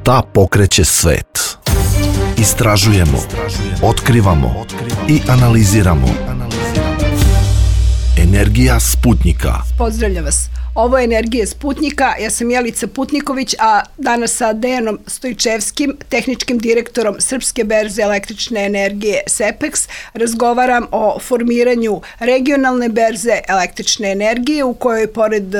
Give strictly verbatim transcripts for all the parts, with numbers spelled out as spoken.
Šta pokreće svet? Istražujemo, otkrivamo i analiziramo. Energija Sputnjika. Pozdravljam vas. Ovo je Energija Sputnjika. Ja sam Jelica Putniković, a danas sa Dejanom Stojčevskim, tehničkim direktorom Srpske berze električne energije SEPEX, razgovaram o formiranju regionalne berze električne energije u kojoj pored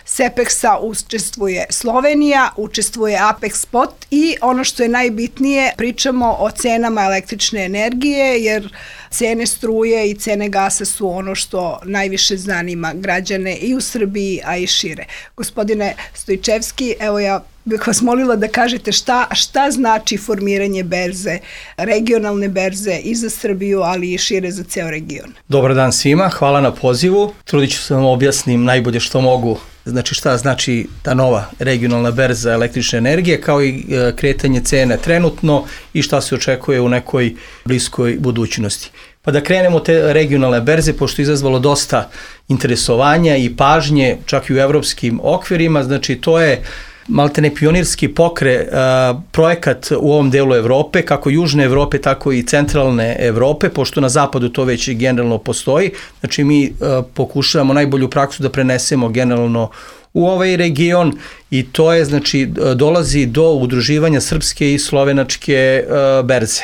SEPEX-a učestvuje Slovenija, učestvuje Apex Spot i ono što je najbitnije, pričamo o cenama električne energije, jer cene struje i cene gasa su ono što najviše zanima građane i u Srbiji, a i šire. Gospodine Stojčevski, evo ja bih vas molila da kažete šta, šta znači formiranje berze, regionalne berze i za Srbiju, ali i šire za ceo region. Dobar dan svima, hvala na pozivu. Trudit ću se vam objasnim najbolje što mogu. Znači šta znači ta nova regionalna berza električne energije, kao i kretanje cene trenutno i šta se očekuje u nekoj bliskoj budućnosti. Pa da krenemo te regionalne berze, pošto je izazvalo dosta interesovanja i pažnje, čak i u evropskim okvirima, znači to je maltene pionirski pokre, uh, projekat u ovom delu Evrope, kako južne Evrope, tako i centralne Evrope, pošto na zapadu to već generalno postoji. Znači mi uh, pokušavamo najbolju praksu da prenesemo generalno u ovaj region i to je, znači, dolazi do udruživanja srpske i slovenačke uh, berze.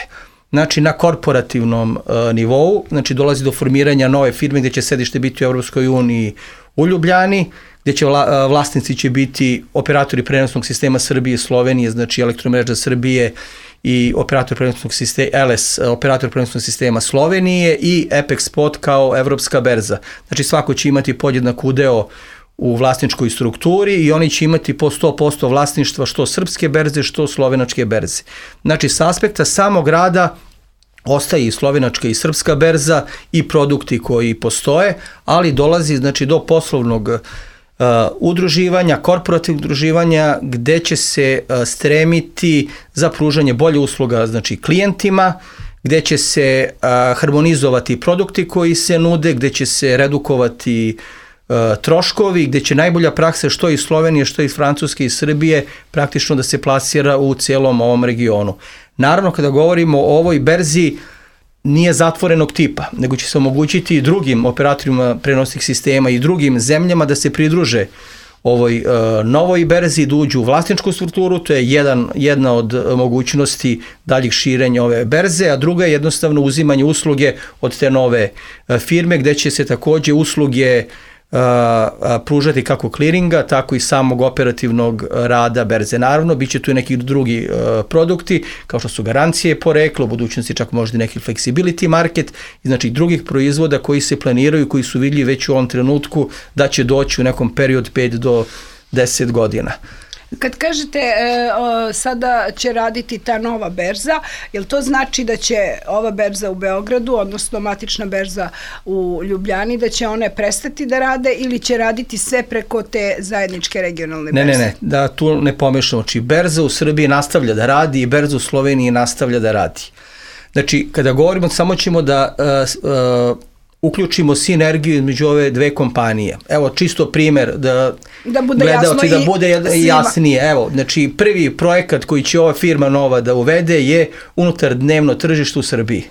Znači na korporativnom uh, nivou, znači dolazi do formiranja nove firme gdje će sedište biti u Evropskoj uniji u Ljubljani, gdje će vla, vlasnici će biti operatori prenosnog sistema Srbije i Slovenije, znači Elektromreža Srbije i operator prenosnog sistema L S, operator prenosnog sistema Slovenije i Apex Spot kao evropska berza. Znači svako će imati podjednak udeo u vlasničkoj strukturi i oni će imati po sto posto vlasništva što srpske berze, što slovenačke berze. Znači s aspekta samog rada ostaje i slovenačka i srpska berza i produkti koji postoje, ali dolazi, znači, do poslovnog uh, udruživanja, korporativnog udruživanja, gde će se uh, stremiti za pružanje bolje usluga, znači, klijentima, gde će se uh, harmonizovati produkti koji se nude, gde će se redukovati uh, troškovi, gde će najbolja praksa što iz Slovenije, što iz Francuske i Srbije praktično da se plasira u cijelom ovom regionu. Naravno, kada govorimo o ovoj berzi, nije zatvorenog tipa, nego će se omogućiti i drugim operatorima prenosnih sistema i drugim zemljama da se pridruže ovoj uh, novoj berzi, da uđu u vlasničku strukturu, to je jedan, jedna od mogućnosti daljih širenja ove berze, a druga je jednostavno uzimanje usluge od te nove uh, firme, gde će se takođe usluge Uh, pružati kako kliringa, tako i samog operativnog rada berze. Naravno, bit će tu i neki drugi uh, produkti, kao što su garancije porekla, u budućnosti čak možda neki flexibility market, i znači drugih proizvoda koji se planiraju, koji su vidljivi već u ovom trenutku da će doći u nekom periodu pet do deset godina. Kad kažete e, o, sada će raditi ta nova berza, jel to znači da će ova berza u Beogradu, odnosno matična berza u Ljubljani, da će one prestati da rade ili će raditi sve preko te zajedničke regionalne berze? Ne, ne, ne, da tu ne pomešamo. Znači, berza u Srbiji nastavlja da radi i berza u Sloveniji nastavlja da radi. Znači, kada govorimo, samo ćemo da uh, uh, uključimo sinergiju između ove dve kompanije. Evo, čisto primer da, da bude gledalci, jasno da bude jasnije. Evo, znači, prvi projekat koji će ova firma nova da uvede je unutar dnevno tržište u Srbiji.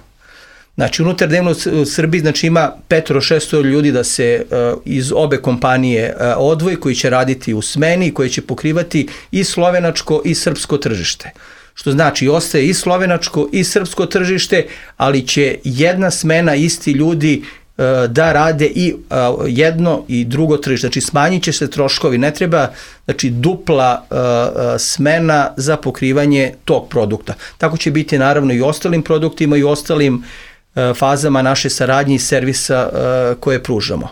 Znači, unutar dnevno u Srbiji, znači, ima petoro šesto ljudi da se uh, iz obe kompanije uh, odvoji, koji će raditi u smeni, koji će pokrivati i slovenačko i srpsko tržište. Što znači, ostaje i slovenačko i srpsko tržište, ali će jedna smena, isti ljudi uh, da rade i uh, jedno i drugo tržište. Znači, smanjit će se troškovi, ne treba, znači, dupla uh, uh, smena za pokrivanje tog produkta. Tako će biti naravno i ostalim produktima i ostalim uh, fazama naše saradnje i servisa uh, koje pružamo.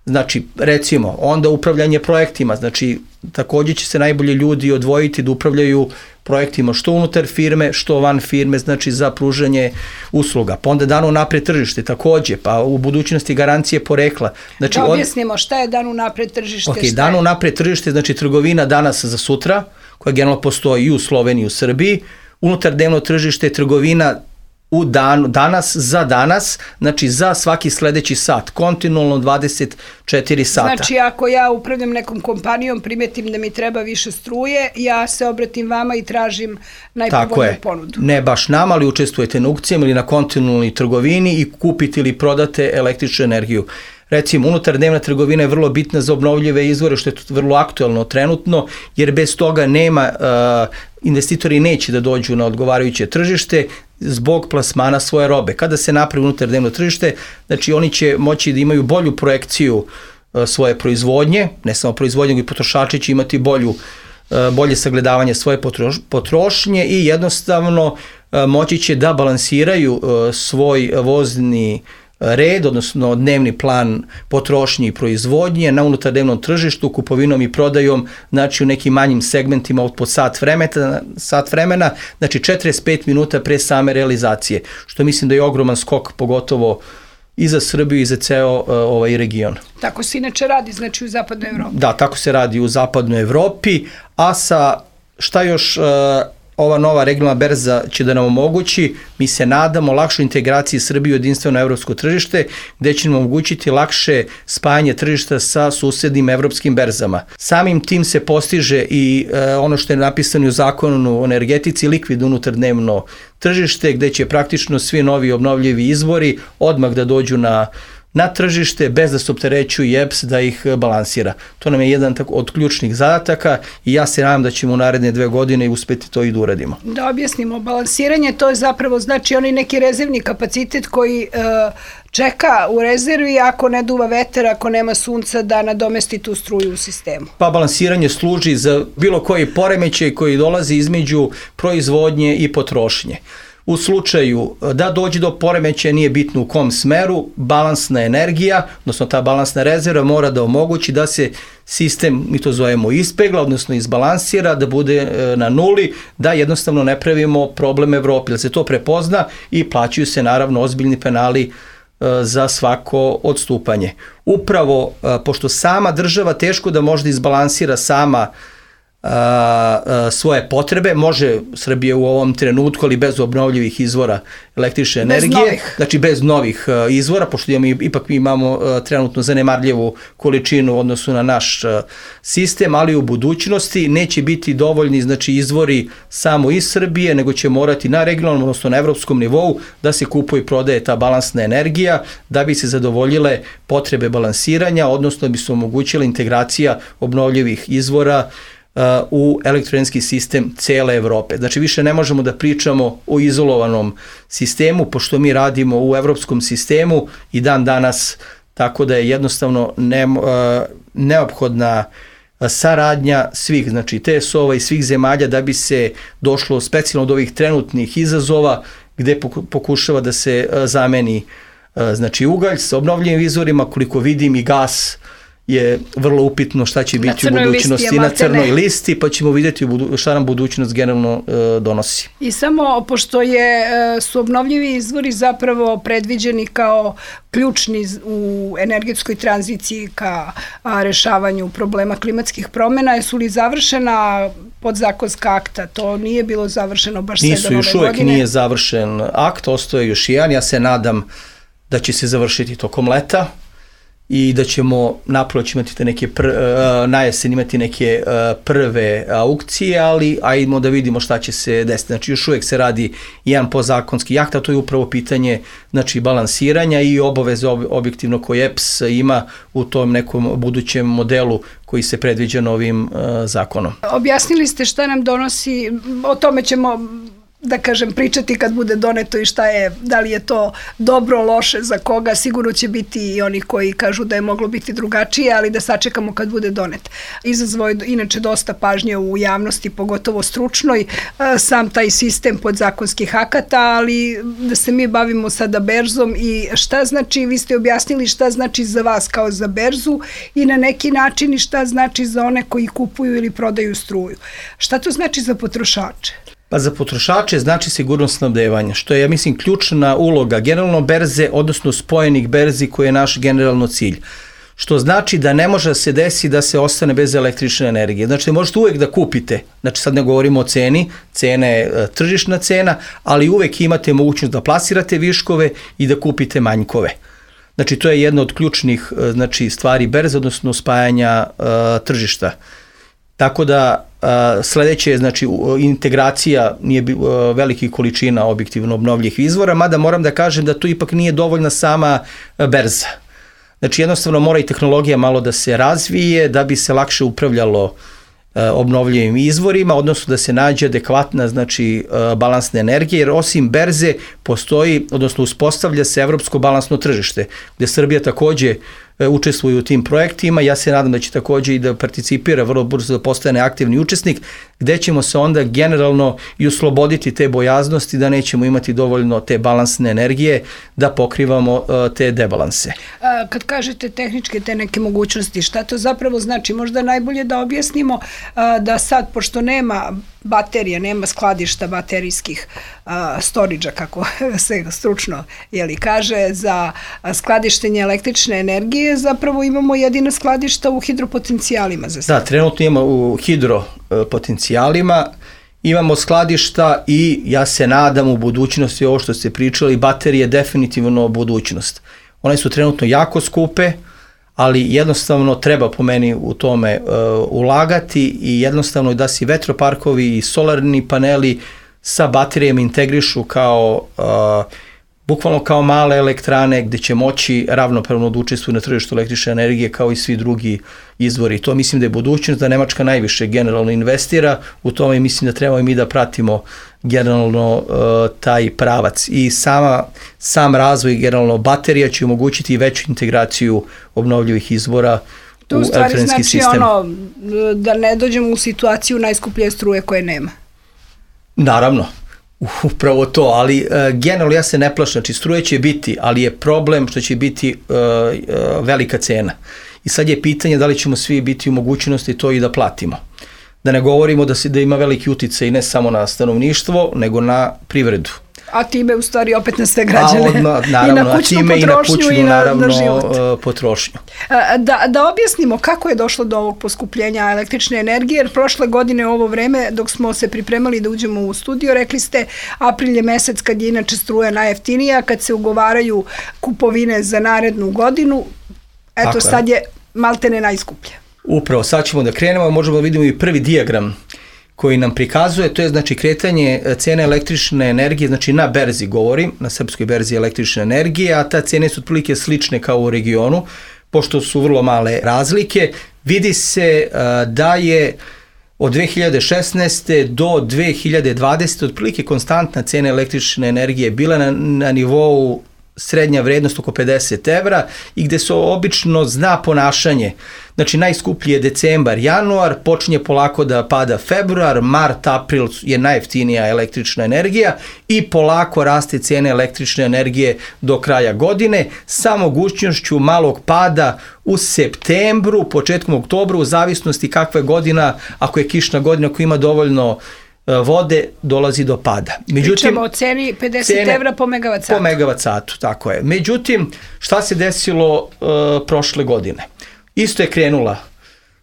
Znači, recimo, onda upravljanje projektima, znači, također će se najbolje ljudi odvojiti da upravljaju projektima što unutar firme, što van firme, znači za pružanje usluga. Pa onda dano napred tržište također, pa u budućnosti garancije porekla. Znači, da objasnimo šta je dano napred tržište. Ok, dano napred tržište, znači trgovina danas za sutra, koja generalno postoji i u Sloveniji i u Srbiji. Unutar dnevno tržište je trgovina u danu, danas za danas, znači za svaki sledeći sat, kontinualno dvadeset četiri sata. Znači ako ja upravljam nekom kompanijom, primetim da mi treba više struje, ja se obratim vama i tražim najpovoljniju ponudu. Ne baš nama, ali učestvujete na aukcijama ili na kontinualnoj trgovini i kupite ili prodate električnu energiju. Recimo, unutardnevna trgovina je vrlo bitna za obnovljive izvore, što je vrlo aktuelno trenutno, jer bez toga nema, uh, investitori neće da dođu na odgovarajuće tržište zbog plasmana svoje robe. Kada se napravi unutardnevno tržište, znači oni će moći da imaju bolju projekciju uh, svoje proizvodnje, ne samo proizvodnje, nego i potrošači će imati bolju, uh, bolje sagledavanje svoje potroš, potrošnje i jednostavno uh, moći će da balansiraju uh, svoj vozni red, odnosno dnevni plan potrošnje i proizvodnje na unutardnevnom tržištu, kupovinom i prodajom, znači u nekim manjim segmentima od po sat vremena, sat vremena, znači četrdeset pet minuta pre same realizacije, što mislim da je ogroman skok, pogotovo i za Srbiju i za ceo uh, ovaj region. Tako se inače radi, znači u zapadnoj Evropi. Da, tako se radi u zapadnoj Evropi, a sa šta još uh, ova nova regionalna berza će da nam omogući, mi se nadamo, lakšu integraciju Srbije u jedinstveno evropsko tržište, gde će nam omogućiti lakše spajanje tržišta sa susednim evropskim berzama. Samim tim se postiže i e, ono što je napisano u zakonu o energetici, likvidno unutardnevno tržište, gde će praktično svi novi obnovljivi izvori odmah da dođu na na tržište bez da se opterećuje E P S da ih balansira. To nam je jedan od ključnih zadataka i ja se nadam da ćemo u naredne dve godine uspeti to i da uradimo. Da objasnimo, balansiranje to je zapravo znači onaj neki rezervni kapacitet koji e, čeka u rezervi ako ne duva vetar, ako nema sunca da nadomesti tu struju u sistemu. Pa balansiranje služi za bilo koji poremećaj koji dolazi između proizvodnje i potrošnje. U slučaju da dođe do poremećaja, nije bitno u kom smeru, balansna energija, odnosno ta balansna rezerva mora da omogući da se sistem, mi to zovemo ispegla, odnosno izbalansira, da bude na nuli, da jednostavno ne pravimo problem Evropi, da se to prepozna i plaćaju se naravno ozbiljni penali za svako odstupanje. Upravo, pošto sama država teško da može da izbalansira sama A, a, svoje potrebe, može Srbija u ovom trenutku, ali bez obnovljivih izvora električne energije, bez znači bez novih a, izvora, pošto imamo, ipak mi imamo a, trenutno zanemarljivu količinu u odnosu na naš a, sistem, ali u budućnosti neće biti dovoljni znači izvori samo iz Srbije, nego će morati na regionalnom, odnosno na evropskom nivou da se kupuje i prodaje ta balansna energija, da bi se zadovoljile potrebe balansiranja, odnosno da bi se omogućila integracija obnovljivih izvora u elektroenergetski sistem cele Evrope. Znači više ne možemo da pričamo o izolovanom sistemu, pošto mi radimo u evropskom sistemu i dan danas, tako da je jednostavno ne, neophodna saradnja svih, znači T S O-va i svih zemalja da bi se došlo specijalno od ovih trenutnih izazova gde pokušava da se zameni znači ugalj sa obnovljivim izvorima, koliko vidim i gas je vrlo upitno šta će biti u budućnosti na crnoj listi, pa ćemo vidjeti šta nam budućnost generalno e, donosi. I samo pošto je, su obnovljivi izvori zapravo predviđeni kao ključni u energetskoj tranziciji ka a, rešavanju problema klimatskih promjena, su li završena podzakonska akta? To nije bilo završeno baš sve do nove godine. Nisu, još uvek nije završen akt, ostaje još jedan. Ja se nadam da će se završiti tokom leta i da ćemo napravo imati te neke pr, uh, na jesen imati neke uh, prve aukcije, ali ajmo da vidimo šta će se desiti. Znači još uvijek se radi jedan podzakonski akt, a to je upravo pitanje znači balansiranja i obaveze ob, objektivno koje E P S ima u tom nekom budućem modelu koji se predviđa novim uh, zakonom. Objasnili ste šta nam donosi, o tome ćemo da kažem, pričati kad bude doneto i šta je, da li je to dobro, loše, za koga, sigurno će biti i oni koji kažu da je moglo biti drugačije, ali da sačekamo kad bude donet. Izazvao je inače dosta pažnje u javnosti, pogotovo stručnoj, sam taj sistem podzakonskih akata, ali da se mi bavimo sada berzom i šta znači, vi ste objasnili šta znači za vas kao za berzu i na neki način i šta znači za one koji kupuju ili prodaju struju. Šta to znači za potrošače? Pa za potrošače znači sigurnost snabdevanja, što je, ja mislim, ključna uloga generalno berze, odnosno spojenih berzi koji je naš generalno cilj. što znači da ne može da se desi da se ostane bez električne energije. Znači, možete uvek da kupite, znači sad ne govorimo o ceni, cena je tržišna cena, ali uvek imate mogućnost da plasirate viškove i da kupite manjkove. Znači, to je jedna od ključnih znači, stvari berze, odnosno spajanja uh, tržišta. Tako da uh, sledeće je znači, integracija nije uh, velikih količina objektivno obnovljivih izvora, mada moram da kažem da tu ipak nije dovoljna sama uh, berza. Znači, jednostavno mora i tehnologija malo da se razvije da bi se lakše upravljalo obnovljivim izvorima, odnosno da se nađe adekvatna znači, balansna energija, jer osim berze postoji, odnosno uspostavlja se evropsko balansno tržište, gde Srbija takođe učestvuje u tim projektima. Ja se nadam da će takođe i da participira vrlo brzo da postane aktivni učesnik, gde ćemo se onda generalno i osloboditi te bojaznosti da nećemo imati dovoljno te balansne energije da pokrivamo te debalanse. A, kad kažete tehničke te neke mogućnosti, šta to zapravo znači? Možda najbolje da objasnimo a, da sad, pošto nema baterija, nema skladišta baterijskih storage-a, kako se stručno jeli, kaže, za skladištenje električne energije, zapravo imamo jedina skladišta u hidropotencijalima za sad. Da, trenutno imamo u hidropotencijalima, imamo skladišta i ja se nadam u budućnosti, ovo što ste pričali, baterije definitivno budućnost. One su trenutno jako skupe, ali jednostavno treba po meni u tome uh, ulagati i jednostavno da se vetroparkovi i solarni paneli sa baterijama integrišu kao uh, bukvalno kao male elektrane gde će moći ravnopravno da učestvuju na tržištu električne energije kao i svi drugi izvori. To mislim da je budućnost, da Nemačka najviše generalno investira u tome i mislim da trebamo i mi da pratimo generalno uh, taj pravac. I sama, sam razvoj generalno baterija će omogućiti veću integraciju obnovljivih izvora to u elektronski znači sistem. Ono, da ne dođemo u situaciju najskuplje struje koje nema. Naravno. Upravo to, ali uh, generalno ja se ne plašim, znači struje će biti, ali je problem što će biti uh, uh, velika cena. I sad je pitanje da li ćemo svi biti u mogućnosti to i da platimo. Da ne govorimo da, se, da ima veliki uticaj ne samo na stanovništvo, nego na privredu. A time u stvari opet na sve građane. A odmah, naravno, I na kućnu time potrošnju i na, kućnu, i na, naravno, na život. Uh, potrošnju. Da, da objasnimo kako je došlo do ovog poskupljenja električne energije, jer prošle godine u ovo vreme, dok smo se pripremali da uđemo u studio, rekli ste april je mesec kad je inače struja najjeftinija, kad se ugovaraju kupovine za narednu godinu, eto tako sad je, je maltene najskuplje. Upravo, sad ćemo da krenemo, možemo da vidimo i prvi dijagram koji nam prikazuje, to je znači kretanje cene električne energije, znači na berzi govorim, na srpskoj berzi električne energije, a ta cene su otprilike slične kao u regionu, pošto su vrlo male razlike. Vidi se uh, da je od dve hiljade šesnaeste do dve hiljade dvadesete otprilike konstantna cena električne energije bila na, na nivou srednja vrednost oko pedeset evra i gde se obično zna ponašanje. Znači najskuplji je decembar, januar, počinje polako da pada februar, mart, april je najjeftinija električna energija i polako raste cena električne energije do kraja godine sa mogućnošću malog pada u septembru, početkom oktobru, u zavisnosti kakva je godina, ako je kišna godina, ako ima dovoljno vode, dolazi do pada. Međutim, pričamo o ceni pedeset evra po megavat satu. Po megavat satu, tako je. Međutim, šta se desilo uh, prošle godine? Isto je krenula,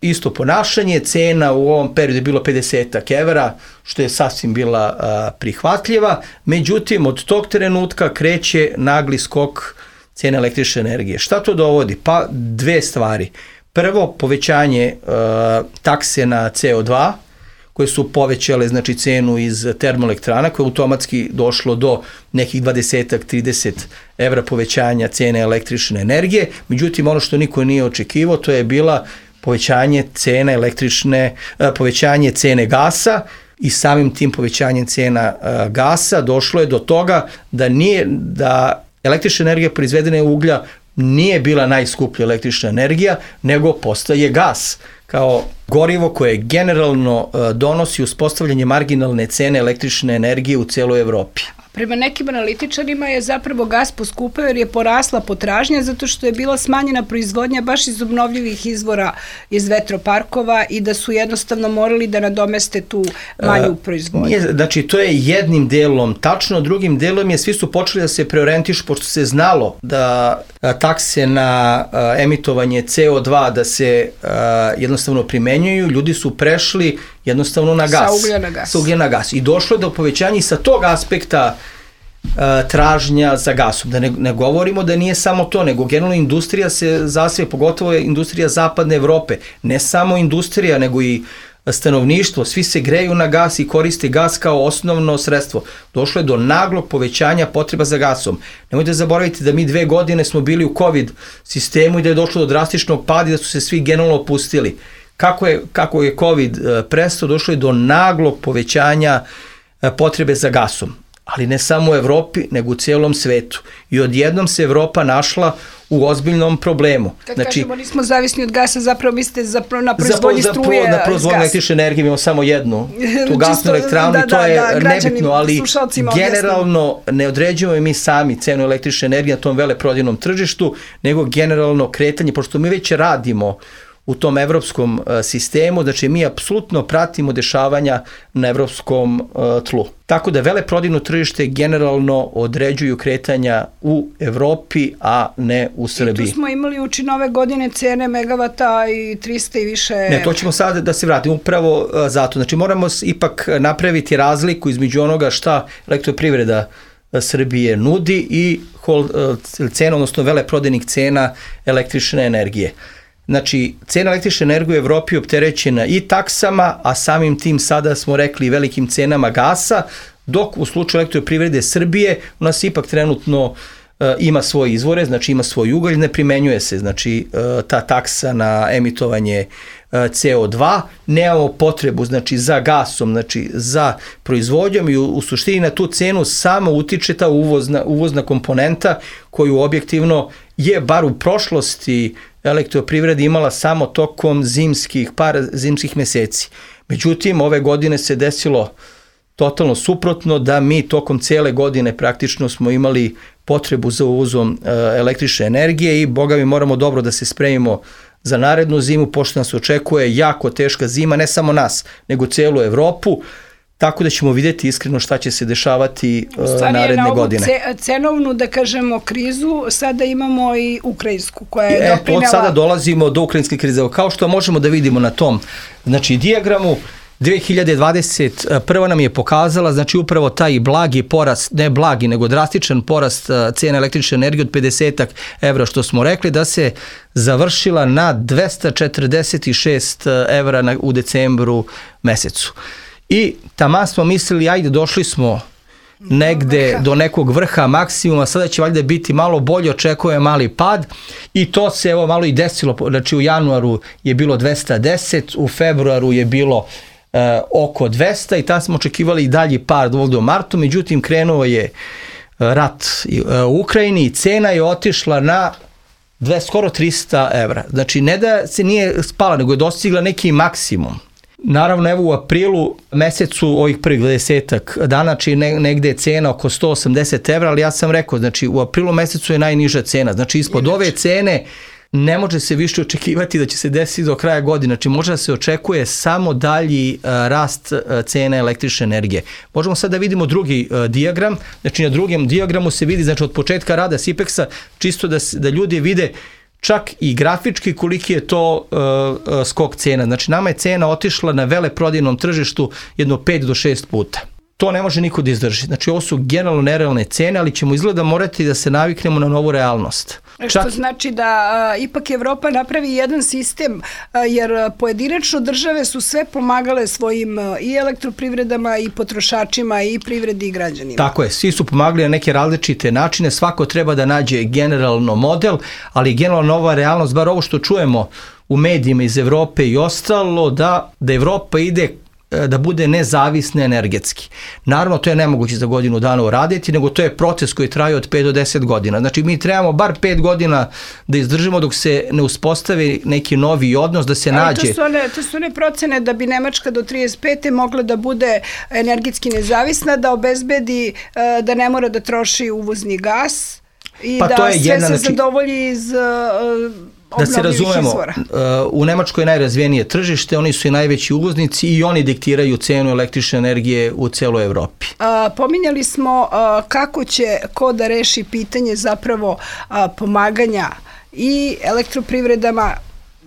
isto ponašanje, cena u ovom periodu je bilo pedeset evra, što je sasvim bila uh, prihvatljiva. Međutim, od tog trenutka kreće nagli skok cene električne energije. Šta to dovodi? Pa dve stvari. Prvo, povećanje uh, takse na ce o dva, koje su povećale znači cenu iz termoelektrana, koje je automatski došlo do nekih dvadeset do trideset evra povećanja cene električne energije. Međutim, ono što niko nije očekivao, to je bila povećanje cene električne, povećanje cene gasa i samim tim povećanjem cena gasa došlo je do toga da nije, da električna energija proizvedena u uglja nije bila najskuplja električna energija, nego postaje gas kao gorivo koje generalno donosi uspostavljanje marginalne cene električne energije u celoj Evropi. Prema nekim analitičarima je zapravo gas poskupeo jer je porasla potražnja zato što je bila smanjena proizvodnja baš iz obnovljivih izvora iz vetroparkova i da su jednostavno morali da nadomeste tu manju proizvodnju. Nije, znači, to je jednim delom tačno, drugim delom je svi su počeli da se preorijentišu, pošto se znalo da a, takse na a, emitovanje ce o dva da se a, jednostavno primenjuju, ljudi su prešli jednostavno na gas. Sa uglja na gas. Sa uglja na gas. I došlo je do povećanja i sa tog aspekta a, tražnja za gasom. Da ne, ne govorimo da nije samo to, nego generalno industrija se zasve, pogotovo je industrija zapadne Evrope. Ne samo industrija, nego i stanovništvo, svi se greju na gas i koriste gas kao osnovno sredstvo. Došlo je do naglog povećanja potreba za gasom. Nemojte zaboraviti da mi dve godine smo bili u COVID sistemu i da je došlo do drastičnog pada i da su se svi generalno opustili. Kako je, kako je COVID prestao, došlo je do naglog povećanja potrebe za gasom. Ali ne samo u Evropi, nego u cijelom svetu. I odjednom se Evropa našla u ozbiljnom problemu. Kad znači, kažemo nismo zavisni od gasa, zapravo mislite zapravo na proizvodnji za, struje za, na proizvodnju električne energije imamo samo jednu, tu gasnu elektranu da, i to da, je da, nebitno, ali generalno objasnim. Ne određujemo mi sami cenu električne energije na tom veleprodajnom tržištu, nego generalno kretanje, pošto mi već radimo u tom evropskom uh, sistemu, znači mi apsolutno pratimo dešavanja na evropskom uh, tlu. Tako da veleprodajno tržište generalno određuju kretanja u Evropi, a ne u Srbiji. I tu smo imali uči nove godine cene megavata i trista i više... Ne, to ćemo sada da se vratimo upravo uh, zato. Znači moramo ipak napraviti razliku između onoga šta elektroprivreda Srbije nudi i hol, uh, cena, odnosno veleprodajnih cena električne energije. Znači, cena električne energije u Evropi je opterećena i taksama, a samim tim sada smo rekli velikim cenama gasa, dok u slučaju elektroprivrede Srbije u nas ipak trenutno e, ima svoje izvore, znači ima svoj ugalj, ne primenjuje se znači e, ta taksa na emitovanje e, ce o dva, nemamo potrebu znači za gasom, znači za proizvodnjom i u, u suštini na tu cenu samo utiče ta uvozna, uvozna komponenta koju objektivno je bar u prošlosti elektroprivreda imala samo tokom zimskih, par zimskih meseci. Međutim, ove godine se desilo totalno suprotno, da mi tokom cijele godine praktično smo imali potrebu za uvozom e, električne energije i boga mi moramo dobro da se spremimo za narednu zimu, pošto nas očekuje jako teška zima, ne samo nas, nego cijelu Evropu. Tako da ćemo vidjeti iskreno šta će se dešavati uh, naredne godine. Ce, cenovnu, da kažemo, krizu, sada imamo i ukrajinsku koja je e, doprinela... Od sada dolazimo do ukrajinske krize. Kao što možemo da vidimo na tom znači, dijagramu, dve hiljade dvadeset prva nam je pokazala, znači upravo taj blagi porast, ne blagi, nego drastičan porast cena električne energije od pedeset evra, što smo rekli, da se završila na dvesta četrdeset šest evra na, u decembru mesecu. I taman smo mislili, ajde, došli smo negde do nekog vrha maksimuma, sada će valjda biti malo bolje, očekuje mali pad i to se evo malo i desilo, znači u januaru je bilo dvesta deset, u februaru je bilo e, oko dvesta i tada smo očekivali i dalji pad ovdje u martu, međutim krenuo je rat u Ukrajini i cena je otišla na dve, skoro trista evra. Znači ne da se nije spala, nego je dostigla neki maksimum. Naravno, evo u aprilu mesecu ovih prvih dvadesetak dana, znači negde je cena oko sto osamdeset evra, ali ja sam rekao, znači u aprilu mesecu je najniža cena, znači ispod ove cene ne može se više očekivati da će se desiti do kraja godine, znači može da se očekuje samo dalji uh, rast uh, cene električne energije. Možemo sad da vidimo drugi uh, dijagram, znači na drugom dijagramu se vidi, znači od početka rada Sipeksa, čisto da, da ljudi vide čak i grafički koliki je to uh, uh, skok cena. Znači nama je cena otišla na veleprodajnom tržištu jedno pet do šest puta. To ne može niko da izdrži. Znači ovo su generalno nerealne cene, ali ćemo izgleda morati da se naviknemo na novu realnost. Što Čak... znači da a, ipak Evropa napravi jedan sistem, a, jer pojedinačno države su sve pomagale svojim a, i elektroprivredama i potrošačima i privredi i građanima. Tako je, svi su pomagali na neke različite načine, svako treba da nađe generalno model, ali generalno nova realnost, bar ovo što čujemo u medijima iz Evrope i ostalo, da, da Evropa ide da bude nezavisna energetski. Naravno, to je nemoguće za godinu dana uraditi, nego to je proces koji traje od pet do deset godina. Znači, mi trebamo bar pet godina da izdržimo dok se ne uspostavi neki novi odnos, da se Ali nađe... To su, one, to su one procene da bi Nemačka do trideset pete mogla da bude energetski nezavisna, da obezbedi da ne mora da troši uvozni gas i pa da to je sve jedna, se znači, zadovolji iz da se razumemo, u Nemačkoj je najrazvijenije tržište, oni su i najveći uvoznici i oni diktiraju cenu električne energije u celoj Evropi. A, pominjali smo a, kako će ko da reši pitanje zapravo a, pomaganja i elektroprivredama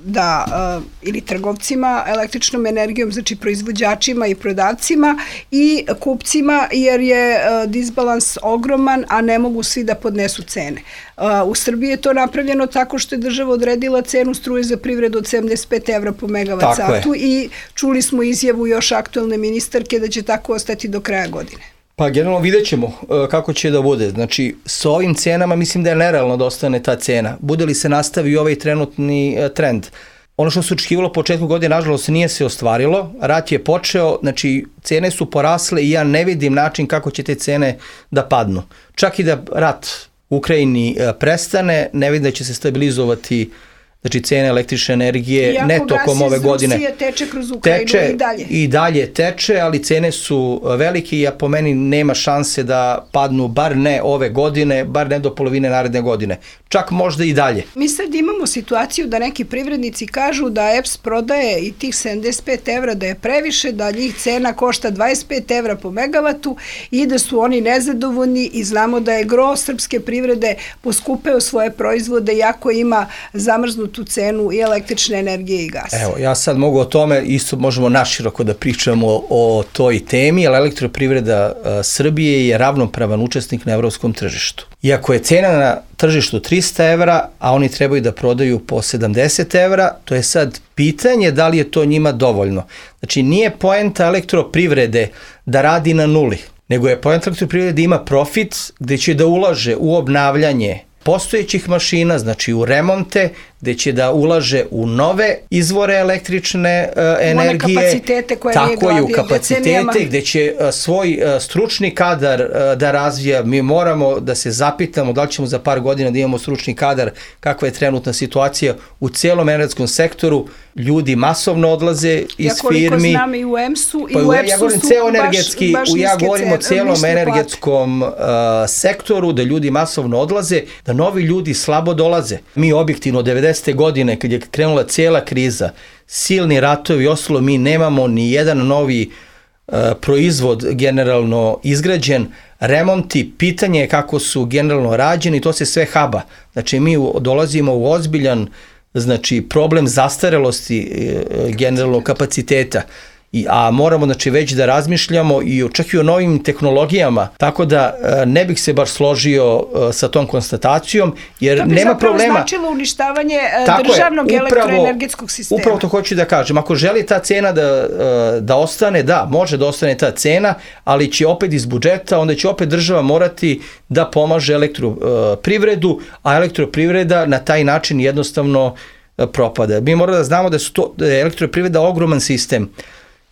da, uh, ili trgovcima električnom energijom, znači proizvođačima i prodavcima i kupcima, jer je uh, disbalans ogroman, a ne mogu svi da podnesu cene. Uh, u Srbiji je to napravljeno tako što je država odredila cenu struje za privredu od sedamdeset pet evra po megavat satu i čuli smo izjavu još aktualne ministarke da će tako ostati do kraja godine. Pa generalno vidjet ćemo kako će da bude. Znači, sa ovim cenama mislim da je nerealno da ostane ta cena. Bude li se nastavi ovaj trenutni trend? Ono što se očekivalo početku godine, nažalost, nije se ostvarilo. Rat je počeo, znači, cene su porasle i ja ne vidim način kako će te cene da padnu. Čak i da rat u Ukrajini prestane, ne vidim da će se stabilizovati, znači, cene električne energije ne tokom ove godine. Iako gas iz Rusije teče kroz Ukrajinu teče, i dalje. I dalje teče, ali cene su velike i po meni nema šanse da padnu, bar ne ove godine, bar ne do polovine naredne godine. Čak možda i dalje. Mi sad imamo situaciju da neki privrednici kažu da E P S prodaje i tih sedamdeset pet evra da je previše, da njih cena košta dvadeset pet evra po megavatu i da su oni nezadovoljni i znamo da je gro srpske privrede poskupeo svoje proizvode iako ima zamrznutu tu cenu i električne energije i gasa. Evo, ja sad mogu o tome, isto možemo naširoko da pričamo o toj temi, ali elektroprivreda a, Srbije je ravnopravan učesnik na evropskom tržištu. Iako je cena na tržištu trista evra, a oni trebaju da prodaju po sedamdeset evra, to je sad pitanje da li je to njima dovoljno. Znači, nije poenta elektroprivrede da radi na nuli, nego je poenta elektroprivrede da ima profit gde će da ulaže u obnavljanje postojećih mašina, znači u remonte, gde će da ulaže u nove izvore električne uh, energije. One kapacitete koje tako nije gradio je, u kapacitete, decenijama. gde će uh, svoj uh, stručni kadar uh, da razvija. Mi moramo da se zapitamo da li ćemo za par godina da imamo stručni kadar, kakva je trenutna situacija u celom energetskom sektoru. Ljudi masovno odlaze iz ja firmi. Ja koliko znam i u E M S-u i pa, u E P S-u ja govorim su ceo baš, energetski, baš ja govorim o celom energetskom uh, sektoru, da ljudi masovno odlaze, da novi ljudi slabo dolaze. Mi objektivno devedesete godine, kad je krenula cijela kriza, silni ratovi i ostalo, mi nemamo ni jedan novi uh, proizvod generalno izgrađen, remonti, pitanje je kako su generalno rađeni, to se sve haba. Znači, mi dolazimo u ozbiljan, znači, problem zastarelosti uh, generalno kapaciteta. I, a moramo, znači, već da razmišljamo i čak i o novim tehnologijama, tako da ne bih se baš složio sa tom konstatacijom, jer nema problema. To bi zapravo značilo uništavanje tako državnog je, upravo, elektroenergetskog sistema. Upravo to hoću da kažem. Ako želi ta cena da, da ostane, da, može da ostane ta cena, ali će opet iz budžeta, onda će opet država morati da pomaže elektroprivredu, a elektroprivreda na taj način jednostavno propada. Mi moramo da znamo da, su to, da je elektroprivreda ogroman sistem,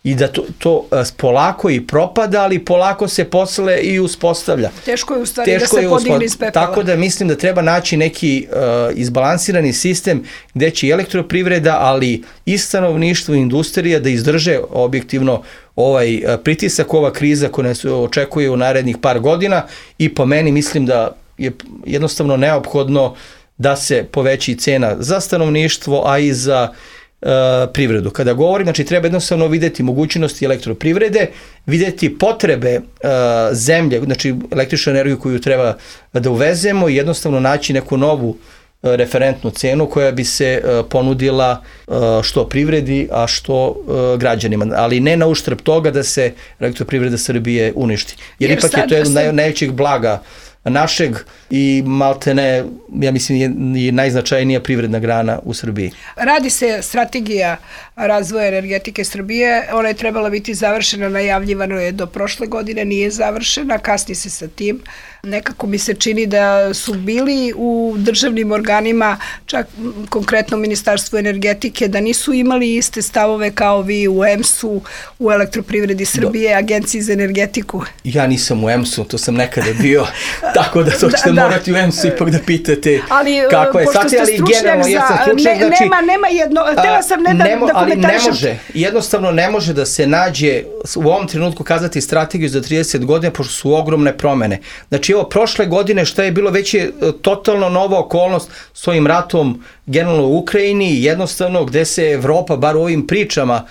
i da to, to polako i propada, ali polako se posle i uspostavlja. Teško je u stvari Teško da se podigne iz pepela. Tako da mislim da treba naći neki uh, izbalansirani sistem gde će i elektroprivreda, ali i stanovništvo i industrija da izdrže objektivno ovaj uh, pritisak, ova kriza koja nas očekuje u narednih par godina i po meni mislim da je jednostavno neophodno da se poveći cena za stanovništvo, a i za Uh, privredu. Kada govorim, znači treba jednostavno videti mogućnosti elektroprivrede, videti potrebe uh, zemlje, znači električnu energiju koju treba da uvezemo i jednostavno naći neku novu uh, referentnu cenu koja bi se uh, ponudila uh, što privredi, a što uh, građanima. Ali ne na uštrb toga da se elektroprivreda Srbije uništi. Jer, Jer ipak sad, je to jedno sad... najvećih blaga našeg i maltene, ja mislim, je, je najznačajnija privredna grana u Srbiji. Radi se strategija razvoja energetike Srbije, ona je trebala biti završena, najavljivano je do prošle godine, nije završena, kasni se sa tim. Nekako mi se čini da su bili u državnim organima, čak konkretno Ministarstvo energetike, da nisu imali iste stavove kao vi u E M S-u, u Elektroprivredi Srbije, Do. Agenciji za energetiku. Ja nisam u E M S-u, to sam nekada bio, tako da to ćete da, morati da. u E M S-u ipak da pitate ali, kako je. Pošto ste stručnjak za... Stručnjak, ne, znači, nema, nema jedno, htela sam ne da, nemo, da komentarišem. Ali ne može, jednostavno ne može da se nađe u ovom trenutku kazati strategiju za trideset godina, pošto su ogromne promene. Znači, evo, prošle godine šta je bilo već je totalno nova okolnost s ovim ratom generalno u Ukrajini, jednostavno gde se Evropa, bar u ovim pričama,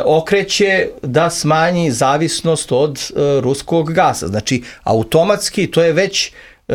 okreće da smanji zavisnost od ruskog gasa. Znači, automatski to je već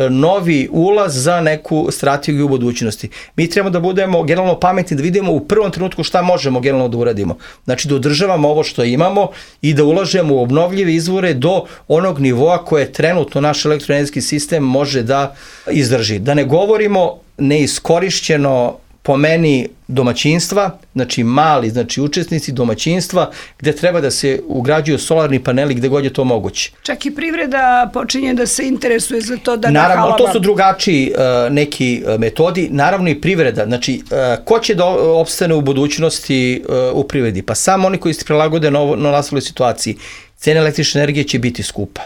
novi ulaz za neku strategiju u budućnosti. Mi trebamo da budemo generalno pametni, da vidimo u prvom trenutku šta možemo generalno da uradimo. Znači da održavamo ovo što imamo i da ulažemo u obnovljive izvore do onog nivoa koje trenutno naš elektroenergetski sistem može da izdrži. Da ne govorimo neiskorišćeno po meni domaćinstva, znači mali, znači učesnici domaćinstva, gde treba da se ugrađuju solarni paneli gde god je to moguće. Čak i privreda počinje da se interesuje za to da naravno, nahalava. To su drugačiji uh, neki uh, metodi, naravno i privreda. Znači, uh, ko će da opstane u budućnosti uh, u privredi? Pa samo oni koji se prilagode na novonastaloj situaciji. Cena električne energije će biti skupa.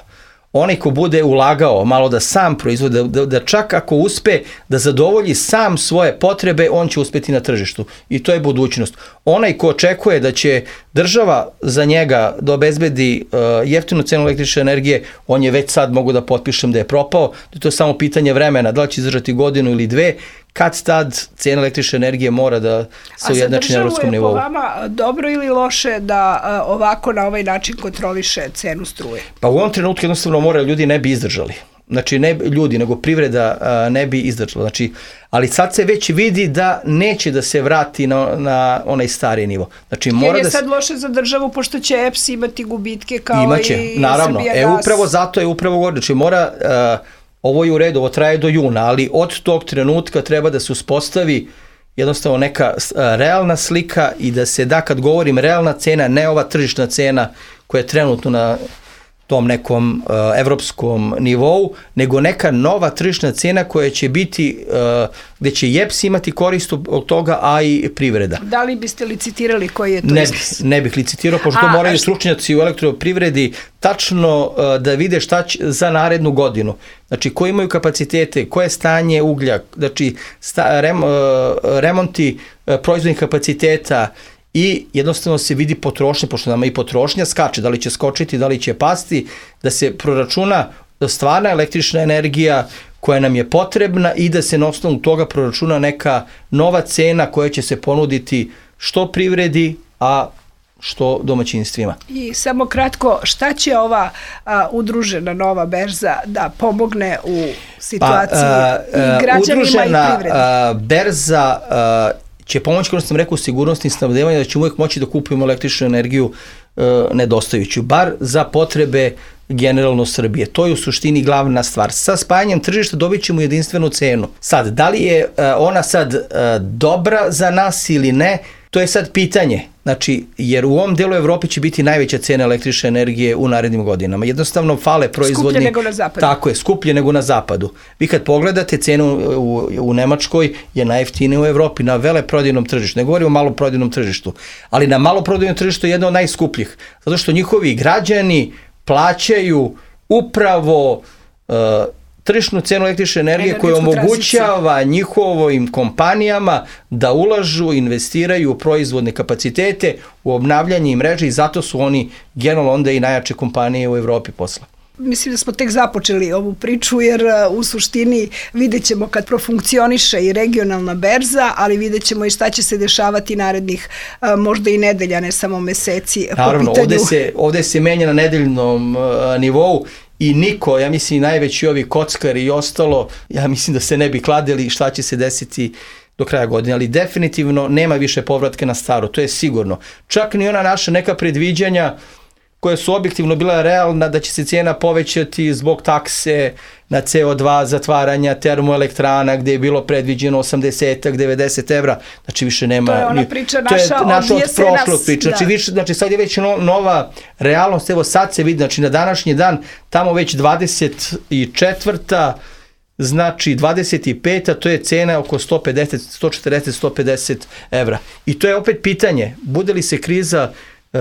Onaj ko bude ulagao malo da sam proizvode, da, da čak ako uspe da zadovolji sam svoje potrebe, on će uspeti na tržištu. I to je budućnost. Onaj ko očekuje da će država za njega da obezbedi uh, jeftinu cenu električne energije, on je već sad, mogu da potpišem da je propao, da to je samo pitanje vremena, da li će izdržati godinu ili dve, kad tad cena električne energije mora da se ujednači na evropskom nivou. A za državu je po vama dobro ili loše da uh, ovako na ovaj način kontroliše cenu struje? Pa u ovom trenutku jednostavno mora, ljudi ne bi izdržali. Znači ne ljudi, nego privreda uh, ne bi izdržala. Znači, ali sad se već vidi da neće da se vrati na, na onaj stari nivo. Znači, mora jer je da sad se... loše za državu, pošto će E P S imati gubitke kao Imaće, i naravno. Srbijagas. E, upravo zato je upravo govorio. Znači, mora... Uh, ovo je u redu, ovo traje do juna, ali od tog trenutka treba da se uspostavi jednostavno neka realna slika i da se da, kad govorim realna cena, ne ova tržišna cena koja je trenutno na tom nekom uh, evropskom nivou, nego neka nova tržišna cena koja će biti, uh, gde će I E P S imati korist od toga, a i privreda. Da li biste licitirali koji je to ne iznos? Bi, ne bih licitirao, pošto a, moraju stručnjaci u elektroprivredi tačno uh, da vide šta će za narednu godinu. Znači, koji imaju kapacitete, koje je stanje uglja, znači sta, rem, uh, remonti uh, proizvodnih kapaciteta, i jednostavno se vidi potrošnja, pošto nama i potrošnja skače, da li će skočiti, da li će pasti, da se proračuna stvarna električna energija koja nam je potrebna i da se na osnovu toga proračuna neka nova cena koja će se ponuditi što privredi, a što domaćinstvima. I samo kratko, šta će ova a, udružena nova berza da pomogne u situaciji pa, a, a, i građanima udružena, i privredi? A, berza a, će pomoći, kao što sam rekao, sigurnosti i snabdevanja, da ćemo uvijek moći da kupujemo električnu energiju e, nedostajuću, bar za potrebe generalno Srbije. To je u suštini glavna stvar. Sa spajanjem tržišta dobit ćemo jedinstvenu cenu. Sad, da li je e, ona sad e, dobra za nas ili ne, to je sad pitanje. Znači, jer u ovom delu Evrope će biti najveća cena električne energije u narednim godinama. Jednostavno fale proizvodnje. Skuplje nego na zapadu. Tako je, skuplje nego na zapadu. Vi kad pogledate cenu u, u Nemačkoj je najjeftinija u Evropi na veleprodajnom tržištu. Ne govorimo o maloprodajnom tržištu, ali na maloprodajnom tržištu je jedna od najskupljih. Zato što njihovi građani plaćaju upravo uh, tržišnu cenu električne energije koja omogućava njihovim kompanijama da ulažu, investiraju u proizvodne kapacitete, u obnavljanje mreže i zato su oni generalno onda i najjače kompanije u Evropi posle. Mislim da smo tek započeli ovu priču jer u suštini vidjet ćemo kad profunkcioniše i regionalna berza, ali vidjet ćemo i šta će se dešavati narednih možda i nedelja, ne samo meseci. Naravno, ovde se, ovde se menja na nedeljnom uh, nivou i niko, ja mislim najveći ovi kockari i ostalo, ja mislim da se ne bi kladili šta će se desiti do kraja godine, ali definitivno nema više povratka na staro, to je sigurno. Čak ni ona naša neka predviđanja koja su objektivno bila realna da će se cijena povećati zbog takse na C O dva, zatvaranja termoelektrana gdje je bilo predviđeno osamdeset do devedeset evra, znači više nema... To je ona priča to je naša, naša od odvije se prošlog nas, priča, znači, da. više, znači sad je već no, nova realnost, evo sad se vidi, znači na današnji dan, tamo već dvadeset četvrta znači dvadeset peta to je cena oko sto pedeset, sto četrdeset, sto pedeset evra. I to je opet pitanje, bude li se kriza e,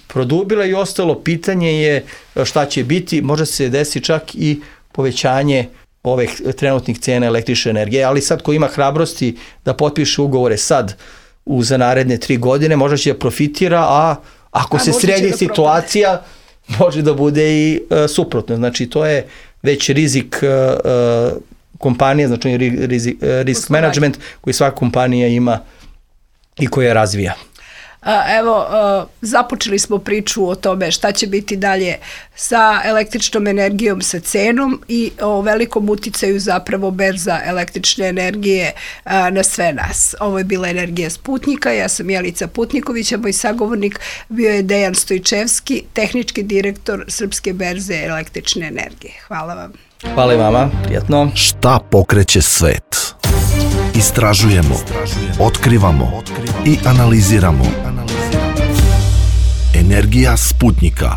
produbila i ostalo, pitanje je šta će biti, može se desi čak i povećanje ovih trenutnih cena električne energije, ali sad ko ima hrabrosti da potpiše ugovore sad u za naredne tri godine, možda će da profitira, a ako a se sredi da situacija, propade. Može da bude i e, suprotno. Znači to je već rizik e, e, kompanije, znači rizik, e, risk Poslovanje. management koji svaka kompanija ima i koja razvija. Evo, započeli smo priču o tome šta će biti dalje sa električnom energijom, sa cenom i o velikom uticaju zapravo berza električne energije na sve nas. Ovo je bila Energija Sputnika, ja sam Jelica Putniković, a moj sagovornik bio je Dejan Stojčevski, tehnički direktor Srpske berze električne energije. Hvala vam. Hvala i vama, prijatno. Šta pokreće svet? Istražujemo, otkrivamo i analiziramo. Energija Sputnika.